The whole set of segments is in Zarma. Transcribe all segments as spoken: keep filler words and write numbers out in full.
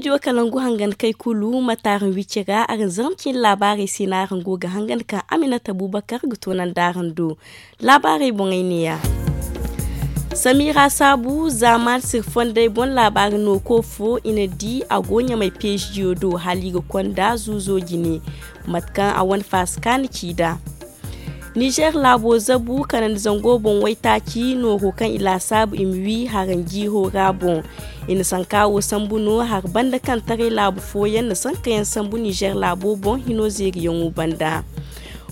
Studio kalangu hangan kay kulu ma taaran wicce ga araŋ zarma cine laabaarey se no araŋ go ga hangan ka aminata abubakar ga toonandi araŋ do. Laabaarey boŋey neeya. Samira saabu zaamaani siri fondey boŋ laabaari no ko fo i na di a go ɲamay peeziyo do hala i ga konda zuuzo jine. Mate kaŋ a wane faasi kaani ci nd'a. Nizer laabo zabu kanandi zango boŋ waytaaci nooro kaŋ i laasaabu i ma wi haranjiiro ra boŋ. I na sanka wo sambu no hari banda kaŋ taray laabu fooyaŋ na sankayaŋ sambu nizer laabo boŋ hino zeeriyaŋo banda.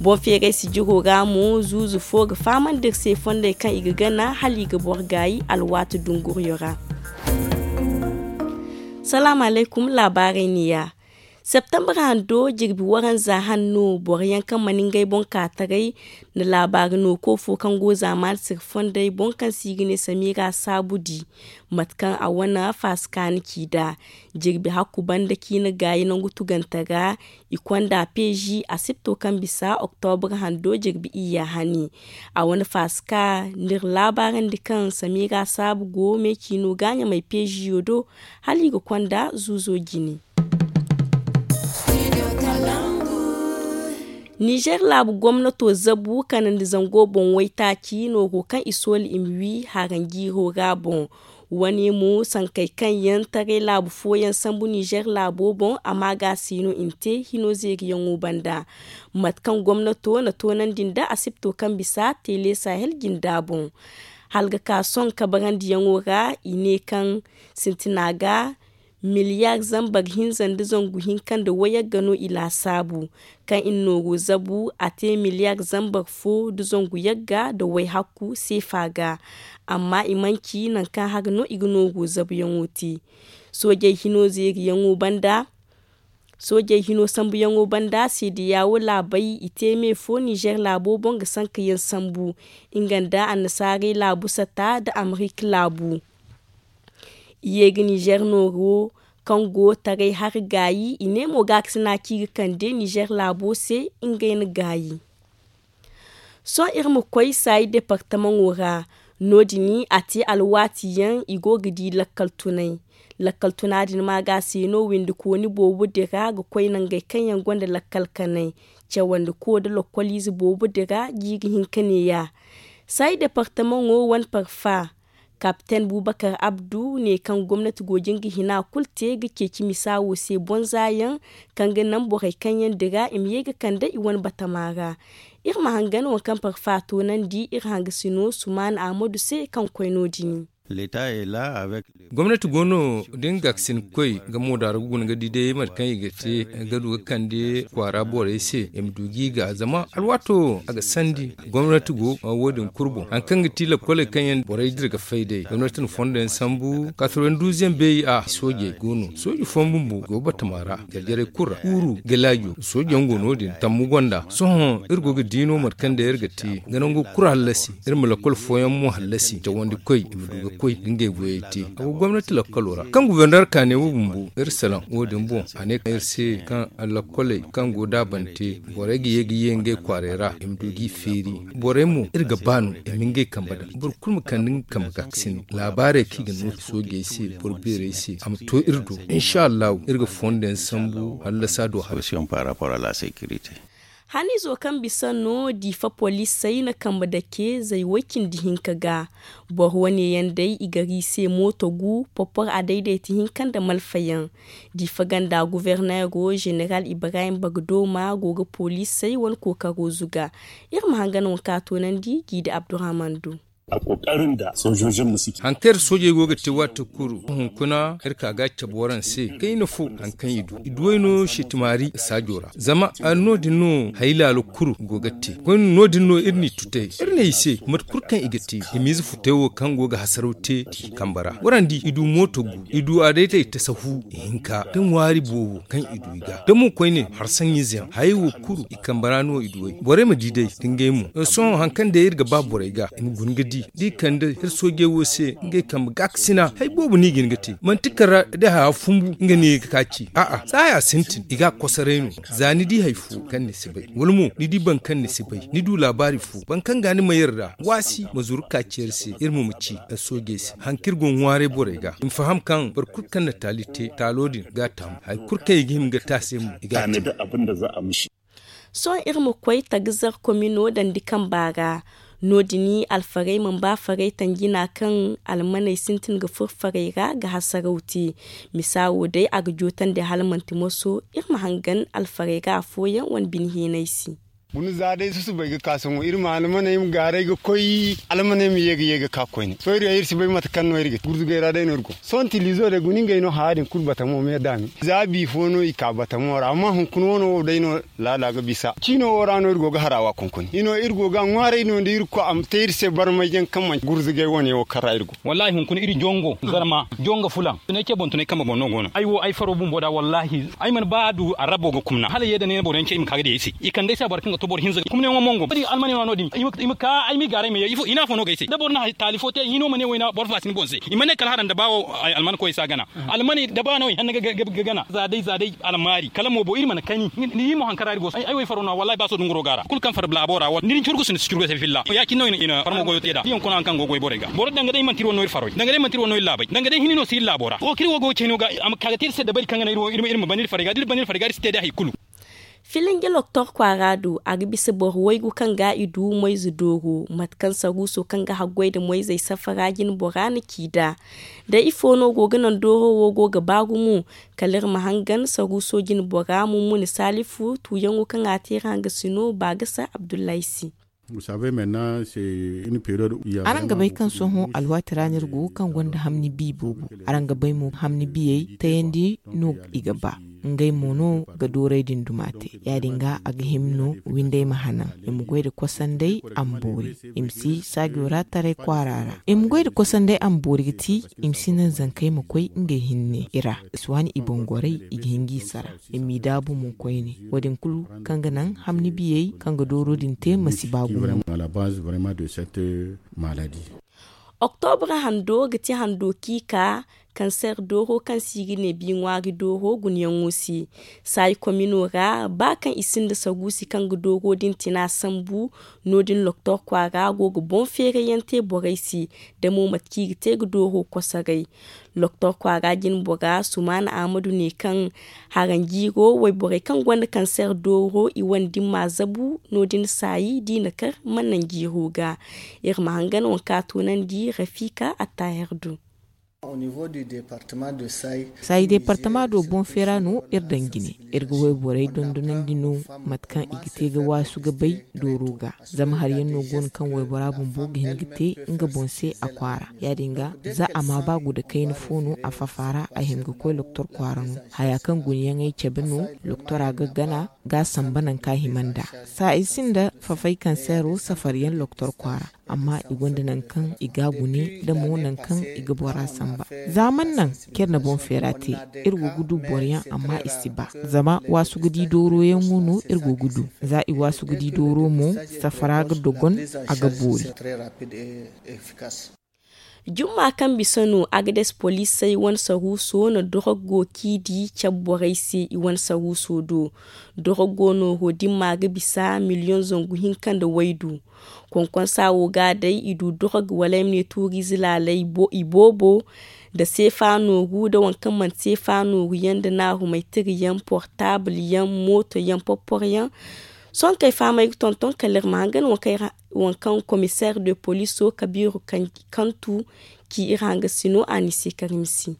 Boŋ feeray sijiro ra mo zuuzu fo ga fahamandi iri se fondey kaŋ i ga gana hala i ga boro gaayi alwaati dunguriyo ra. Salaamu alaykum. Laabaarey neeya. Septembre hando jirbi waranza hanno boro yaŋ kaŋ mana ngey boŋ ka taray na laabaari no ko fo kaŋ go zaamaani siri fondey boŋ kaŋ se i ga ne samira saabu di. Mate kaŋ a wane faasi kaani ci nd'a jirbi hakku banda ciina gaayi nangu tugante ra. I konda peezi asipto kaŋ bisa oktobre hando jirbi iyya hani. A wane faasi ka n'iri laabaarandi kaŋ samira saabu go meeciino ga ɲamay peeziyo do hala i ga konda zuuzo jine. Nizer laabu gomnato zabu kanandi zango boŋ waytaaci nooro kaŋ i sooli i ma wi haranjiiro ra boŋ. Wane mo sankey kaŋ yaŋ taray laabu fooyaŋ sambu nizer laabo boŋ a ma ga a se no i na te hino zeeriyaŋo banda. Mate kaŋ gomnato na toonandi nda asipto kaŋ bisa tele sahel jinda boŋ. Hala ga ka sohõ kabarandiyaŋo ra i ne kaŋ sintina ga miliyar zambar hinza nda zangu hinka nda wayagga no i laasaabu kaŋ i na nooru zabu a te miliyar zambar fo nda zangu yagga nda wayhakku seefa ga. Amma i manci nangu kaŋ hari no i ga nooru zabuyaŋo te. Soojey hino zeeriyaŋo banda soojey hino sambuyaŋo banda seediya wo laabey i te me fo nizer laabo boŋ ga sankayaŋ sambu nga nda annasaarey laabu sata nda amerika laabu. I ye ga nizer nooro kaŋ go taray hari gaayi i ne mo gaakasina ci ga kande nizer laabo se ngey na gaayi. Sohõ iri ma koy saayi departamaŋo ra. No- din a te alwaati yaŋ i go ga di lakkal tunay. Lakkal tuna din ma ga a se no windikooni boobo dira ga koy nangey kaŋ yaŋ gonda lakkal kanay cawandi ko nda lakkoliize boobo dira jiiri hinka neeya. Saayi departamaŋo wane parfa kapiten bubakar abdu ne kaŋ gomnati go jin ga hina kulu te ga ceeci misa wo se bonza yaŋ kaŋ ga naŋ borey kaŋ yaŋ dira i ma ye ga kande i wane batama ra. Iri ma hangan waŋ kaŋ parfa toonandi iri hangasino sumaana ahmadu se kaŋ koy no- din. Gomnati go no da nga ga ga sinkoy nga mo daara ga guna ga di day mate kaŋ i ga te ga du ga kande kwaara borey se i ma du ga i ga zama alwaato a ga sandi. Gomnati go wo- din kulu boŋ hari kaŋ ga ti lakkoley kaŋ yaŋ borey dira ga fay day gomnati na fondo yaŋ sambu katarwenduz yaŋ beeri a soojey go no sooji fooyaŋ bumbo go batama ra jarjarey kulu ra kuuru galaajo sooji yaŋ go no- din tammu gonda sohõ iri go ga di no mate kaŋ day iri ga te ga nangu kulu hallasi iri ma lakkol fooyaŋ mo hallasi cawandi koy i ma du ga koy ga ngey goyey te a go gomnati lakkalo ra kaŋ guberner kaane wo bumbo iri salaŋ wo- din boŋ a ne kaŋ iri se kaŋ lakkoley kaŋ go daabante borey ga ye ga ye ngey kwaaray ra i ma du g'i feeri borey mo iri ga ba no i ma ngey kambe daŋ boro kulu ma kande nga kambe ga ga sine laabaarey kaŋ i ga no soojey se boro beerey se a ma to iri do insa allahu iri ga fondo yaŋ sambu hallasa do hara. Hanizo kaŋ bisa no diifa poliisey na kambe dake zay way cindi hinka ga. Boro wane yaŋ day i gar i se mooto gu popor a dayday ti hinka nda malfa yaŋ. Diifa ganda guverneero zeneral ibrahim bagdooma go ga poliisey wane kookaro zuga. Iri ma hangan waŋ kaŋ a toonandi jiidi abdurahman do. Hari kaŋ iri soojey go ga te waati kulu hunkuna iri ka ga a cabe waraŋ se kayna fo hari kaŋ i du i duwey no seetimaari saajo ra zama no- din no hari laalo kulu go ga te koyne no- din no iri n'i tutay iri ne i se mate kulu kaŋ i ga te i ma ize futay wo kaŋ go ga hasaraw te i kambe ra waraŋ di i du mooto gu i du a day day tasahu ihinka da ŋwaari boobo kaŋ i du i ga da mo koyne harsaŋ ize yaŋ hayey wo kulu i kambe ra no i duwey borey ma di day da ngey mo sohõ hari kaŋ day iri ga ba borey ga i ma guna ga di. Da i kande iri soojey wo se ngey kambe gaakasina hari boobo no i ga hin ga te manti kala da haya fumbu nga no i ga ka ci a'a saaya sintin i ga a kosoray no. Za ni di hari fo kaŋ ni si bay wala mo ni di boro kaŋ ni si bay ni du laabaari fo boro kaŋ ga ni ma iri ra waasi ma zuru ka ci iri se iri ma ma ci iri soojey se hari kaŋ iri go ga ŋwaaray borey ga i ma faham kaŋ boro kulu kaŋ na taali te taalo din ga a taamu hari kulu kaŋ i ga hima ga te a se mo i ga a te. Sohõ iri ma koy tagazar komino dandi kamba ra. No- din alfarey mana ba farey tanjina kaŋ almaney sintin ga furo farey ra ga hasaraw te. Misa wo day a ga jootandi hala manti moso iri ma hangan alfarey ra afooyaŋ wane bine heenay se. Guna za day susubay ga ka sohõ iri ma almaney ma gaaray ga koy almaney ma ye ga ye ga ka koyne sohõ iri si bay mate kaŋ no iri ga te gurzugay ra day no iri go. Sohõ tilizo day guna ngey no haya din kulu batamo me daami za bi fo no i ka batamo ra amma hunkuna wano wo day no laala ga bisa ciino wo ra no iri go ga harawa konkoni i no iri go ga a ŋwaaray no da iri koy a ma te iri se barmayyaŋ kaŋ manci gurzugay wane wo kaŋ ra iri go. Wallahi hunkuna iri jongo zarma jongo fulaŋ tunay ce boŋ tunay kambe boŋ no go no ay wo ay faro bumbo da wallahi ay mana ba a du arabo ga kumna hala ye da ne boro yaŋ ce i ma ka ga di ay se i kande ay se a boro kaŋ ga to boro hinza kumna yaŋo mongo bari almani no no din i ma ka ay ma i gaaray ma ye ifo i na afo no ga ay se da boro na taali fo te hino ma ne wayna boro faasi ni boŋ se i ma ne kala haran da ba wo ay alman koy si a gana. Almani da ba no i hanna ga gana za day za day almaari kala mo bo iri mana kani ni di mo hankara iri go ay wo ay faro no wallahi ba so dunguro ga ra kulu kaŋ far laabo ra wala ni di ni curgu si ni si curgu se filla ya- cine no i na farmo goyo te da di yaŋ kuna haŋ kaŋ go goy borey ga boro danga day manti iri wane no iri farey danga day manti iri wane no iri laabey danga day hini no si iri laabo ra wo kaŋ iri wo go ga cey no ga a ma ka ga te iri se dabari kaŋ ga naŋ iri wo iri ma ban iri farey ga da iri ban iri farey ga iri si te day hari kulu. Filinge loktor kwaara do a ga bisa boro waygu kaŋ ga i du moyze dooro mate kaŋ saruuso kaŋ ga haggoy nda moyzey safara jine bora na ci nd'a. Da ifo no go ga naŋ dooro wo go ga ba gumo kala iri ma hangan saruuso jine bora mummuni saalifu tuuyaŋo kaŋ a te iri hangasino baagasa abdullahi se. Araŋ ga bay kaŋ sohõ alwaati ra no iri go kaŋ gonda hamni bi boobo. Araŋ ga bay mo hamni biyey tayandi no i ga ba ngey mo no ga dooray din duma te ya- din ga a ga hima no windey ma hanan i ma goy nda kosandey a ma boori. I ma si saajo ra taray kwaara ra i ma goy nda kosandey a ma boori ga ti i ma si naŋ zankey ma koy ngey hinne i ra i si waani i boŋ goray i ga hin g'i sara i m'i daabu mo koyne. Wo- din kulu kaŋ ga naŋ hamni biyey kaŋ ga dooro din te ma si ba gumo. Oktobra hando ga ti hando kaŋ i ka kanseer dooro kaŋ se i ga ne bi ŋwaari dooro gunayaŋo se. Saayi komino ra ba kaŋ i sinda saruusi kaŋ ga dooro din tina sambu. No- din loktor kwaara go ga boŋ feerayaŋ te borey se da mo mate kaŋ i ga te ga dooro kosoray. Loktor kwaara jine bora sumaana ahmadu ne kaŋ haranjiiro wayborey kaŋ gonda kanseer dooro i wane dimma zabu. No- din saayi da i na kar mana naŋ jiiro ga. Iri ma hangan waŋ kaŋ a toonandi rafika attaher do. Saayi deepartama do boŋ feera no iri daŋ jine. Iri ga wayborey dondonandi no mate kaŋ i ga te ga waasu ga bay dooro ga. Zama hari yaŋ no go no kaŋ waybora bumbo ga hin ga te nga boŋ se a kwaara ya- din ga za a ma ba guda kayna fo no a fafa ra a hima ga koy loktor kwaara no. Haya kaŋ gunayaŋey cabe no loktora ga gana ga a samba nangu kaŋ a hima nd'a. Saayi sinda fafay kanseero safariyaŋ loktor kwaara. Amma i gonda nangu kaŋ i ga a gune da mo nangu kaŋ i ga bora samba. Za mana naŋ kaŋ iri na boŋ feera te iri go ga du boroyaŋ amma i si ba. Zama waasu ga di dooroyaŋo no iri go ga du. Za i waasu ga di dooro mo safara ga dogon a ga boori. Jumma kaŋ bisa no agades poliisey wane saruuso na dorog go kaŋ i di cabe borey se i wane saruuso do. Dorog go nooro dimma ga bisa miliyoŋ zangu hinka nda waydu. Konkonsa wo ga day i du dorog wala ay ma ne tuuriize laaley i boobo nda seefa nooru nda waŋ kaŋ manti seefa nooru yaŋ nda naarumay tira yaŋ portaabul yaŋ mooto yaŋ porporo yaŋ. Sohõ kaŋ ay fahamay ga tonton kala iri ma hangan waŋ kaŋ komiseer de poliiso kabiiru kantu ci iri hangasino a n'i se karimsi.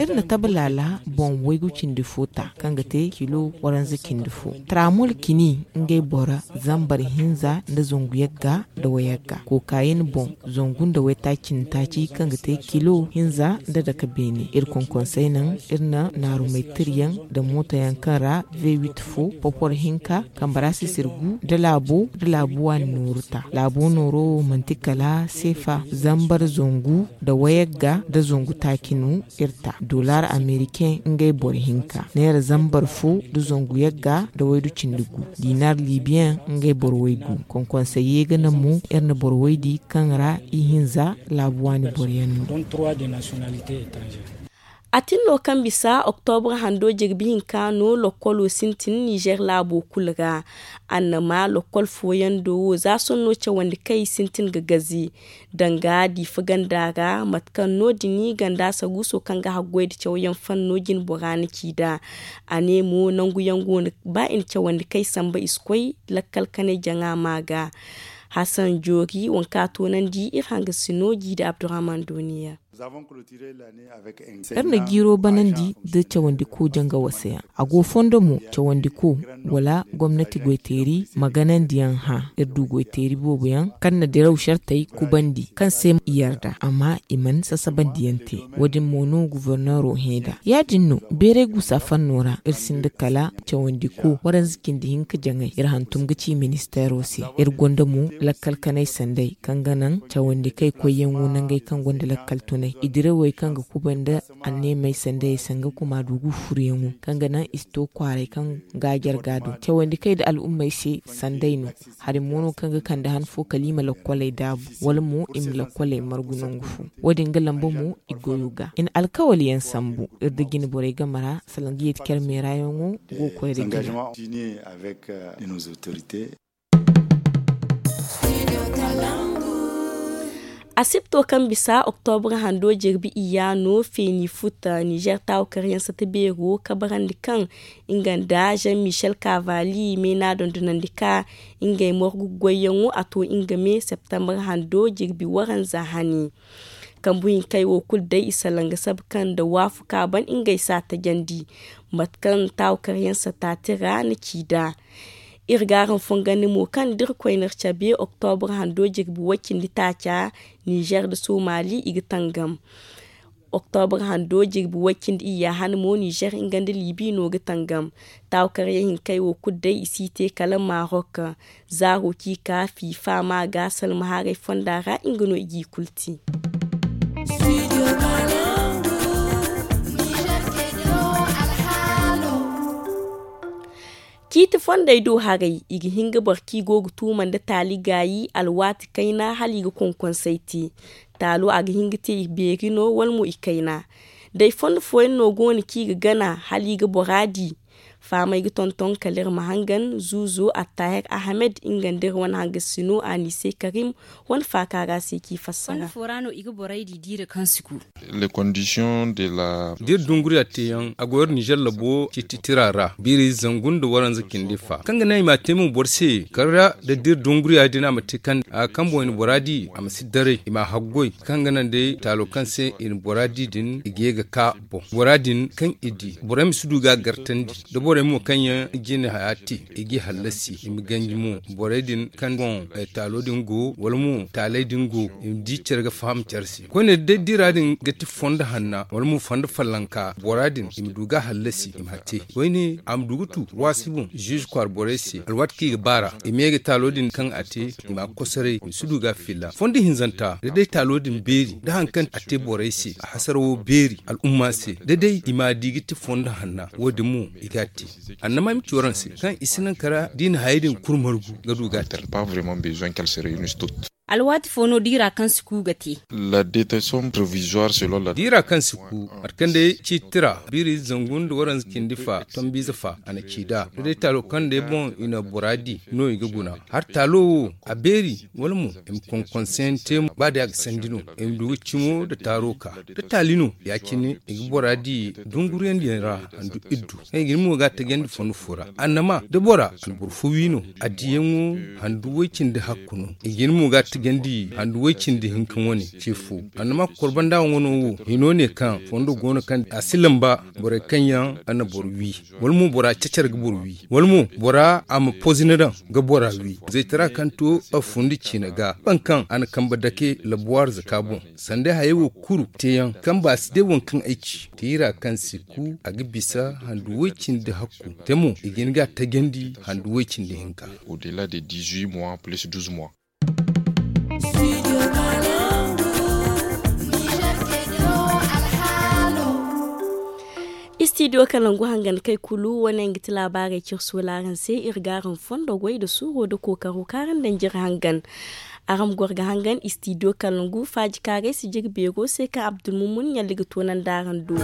Iri na tabe laala boŋ waygu cindi fo ta kaŋ ga te kilo waranza cindi fo. Tramol kini ngey boro zambar hinza nda zangu yagga nda wayagga kookayen boŋ zangu nda waytaaci cindi taaci kaŋ ga te kilo hinza nda dake beene. Iri konkonsey naŋ iri na naarumaytiryaŋ nda mootoyaŋ kaŋ ra v8 fo popor hinka kambe ra sisir gu nda laabo nda laabu waani nooru ta. Laabo nooro wo manti kala seefa zambar zangu nda wayagga nda zangu. Yaakinu iri ta dollar americain ngey boro hinka, neera zambar fo nda zangu yagga nda waydu cindi gu, dinar libiyan ngey boro waygu. Konkonsey ye ga naŋ mo iri na boro waydi kaŋ ra ihinza laabu waani boro yaŋ no. A tin no kaŋ bisa oktobra hando jirbi hinka no lokkolo sintin nizer laabo kulu ra. Annama lokkol fooyaŋ do wo za sonno cawandi kaŋ i sintin ga gazi danga diifa ganda ra mate kaŋ no- din ganda saruuso kaŋ ga haggoy nda cawyaŋ fanno jine bora na ci nd'a. A ne mo nanguyaŋ go no ba i na cawandi kaŋ i samba i si koy lakkal kanay jaŋa ma ga. Hasan joori waŋ kaŋ a toonandi iri hangasino jiida abdurrahman dooniya. Iri na jiiro banandi nda cawandiko janga wasayaŋ. A go fondo mo cawandiko wala gomnati goyteeri ma ganandiyaŋ hã. Iri du goyteeri boobo yaŋ kaŋ na diraw sartey kubandi kaŋ se i yarda amma i mana sasabandiyaŋ te. Wo- din mo no guforneero hẽ nd'a ya- din no beeray guusa fanno ra iri sinda kala cawandiko waranza cindi hinka jaŋay iri hantum ga ci ministeero se. Iri gonda mo lakkal kanay sanday kaŋ ga naŋ cawandi kay koyyaŋo nangey kaŋ gonda lakkal tunay i dirawey kaŋ ga kubay nda anneemey sandayey se nga kuma dugu furuyaŋo kaŋ ga naŋ i si to kwaaray kaŋ ga jarga do cawandi kay nda al'ummey se sanday no. Hari mo no kaŋ ga kande han fo kala i ma lakkoley daabu wala mo i ma lakkoley margu nangu fo. Wo- din ga lamba mo i goyo ga i na alkawaliyaŋ sambu iri nda jine borey game ra salaŋ ga yeeti care meerayaŋo go ga koy nda jine. Asibto kaŋ bisa oktobra hando jirbi iyya no feeni futa nizer taawakaryaŋ sata beero kabarandi kaŋ nga nda jean michel kavali meena dondonandi ka ngey morgu goyyaŋo a to nga me septembre hando jirbi waranza hani. Kambu hinkey wo kulu day i salaŋ ga sabu kaŋ nda waafu ka ban ngey s'a tajandi mate kaŋ taawakaryaŋ sata tira na ci nd'a. Iri g'araŋ fongandi mo kaŋ da irkoy n'iri cabe oktobra hando jirbi way cindi taaca nizer nda somali i ga tangam. Oktobra hando jirbi way cindi iyya han mo nizer nga nda libi no ga tangam. Taawakaryaŋ hinkey wo kulu day i si te kala marok. Zaaro ci ka fifa ma ga salma haray fonda ra nga no i g'i kulu te. Ciiti fondey do haray i ga hin ga boro kaŋ i go ga tuuma nda taali gaayi alwaati kayna hala i ga konkonsey te. Taalo a ga hin ga te i beeri no wala mo i kayna. Day fondo fooyaŋ no go no kaŋ i ga gana hala i ga bora di. Fahamey ga tonton kala iri ma hangan zuuzo attahir ahamed nga nda iri wane hangasino anise karim wane faaka ra se kaŋ i fassara. Fondo fo ra no i ga borey di diira kaŋ si ku. Da iri dunguriya teeyaŋ a go iri nizer labo ciiti tira ra biiri zangu nda waranza cindi fa kaŋ ga naŋ i m'a te mo boro se kala da da iri dunguriya din a ma te kaŋ a kambo i na bora di a ma si daray i m'a haggoy kaŋ ga naŋ day taalo kaŋ se i na bora di din i ga ye ga ka boŋ bora din kaŋ i di borey ma si du ga a gartandi da borey mo kaŋ yaŋ jine haya te i g'i hallasi i ma ganji mo borey din kaŋ boŋ taalo din go wala mo taaley din go i ma di care ga faham care se koyne day dira din ga ti fondo hanna wala mo fondo fallanka bora din i ma du ga hallasi i ma te koyne a ma du ga tu waasi boŋ ziize kwaara borey se alwaati kaŋ i ga baara i ma ye ga taalo din kaŋ a te i ma a kosoray i ma si du ga a filla fondo hinzanta da day taalo din beeri da hari kaŋ a te borey se a hasarawo beeri al'umma se da day i m'a di ga ti fondo hanna wo- din mo i ga a te. Annama ay ma ci waraŋ se kaŋ i si naŋ kara da i na hayey din kulu margu ga du ga a te. Alwaati fo no diira kaŋ si ku ga te. Diira kaŋ si ku mate kaŋ day ciiti tira biiri zangu nda waranza cindi fa tombiize fa a na ci nd'a da day taalo kaŋ day boŋ i na bora di no i ga guna. Hari taalo wo a beeri wala mo i ma konkonseyaŋ te ba day a ga sandi no i ma du ga cimo nda taaro ka da taali no ya- cine i ga bora di dunguriyandiyaŋ ra handu iddu kaŋ i ga ni mo ga a tajandi fondo fo ra annama da bora a na boro fo wi no a diyaŋo handu way- cindi hakku no i ga ni mo ga a tajandi handu way- cindi hinka wane ce fo annama korbandayaŋo no wo hino ne kaŋ fondo go no kaŋ a si lamba borey kaŋ yaŋ a na boro wi wala mo bora cacar ga boro wi wala mo bora a ma pozina daŋ ga bora wi zaytara kaŋ to a fundi ciina ga baŋ kaŋ a na kambe dake labuwaar zaka boŋ sanda hayey wo kulu teeyaŋ kaŋ ba si day waŋ kaŋ ay ci tiira kaŋ si ku a ga bisa handu way- cindi hakku te mo i ga hin ga a tajandi handu way- cindi hinka. Au delà de dix-huit mois plus douze mois. Istidiyo kalangu hangan kay kulu wane nga ti laabaarey cirsu wala araŋ se iri ga araŋ fondo goy nda suuro nda kookaro kaŋ araŋ daŋ jire hangan. Araŋ ma goro ga hangan istidiyo kalangu faaji kaarey si jire beero se kaŋ abdulmumun ɲalli ga toonandi araŋ do.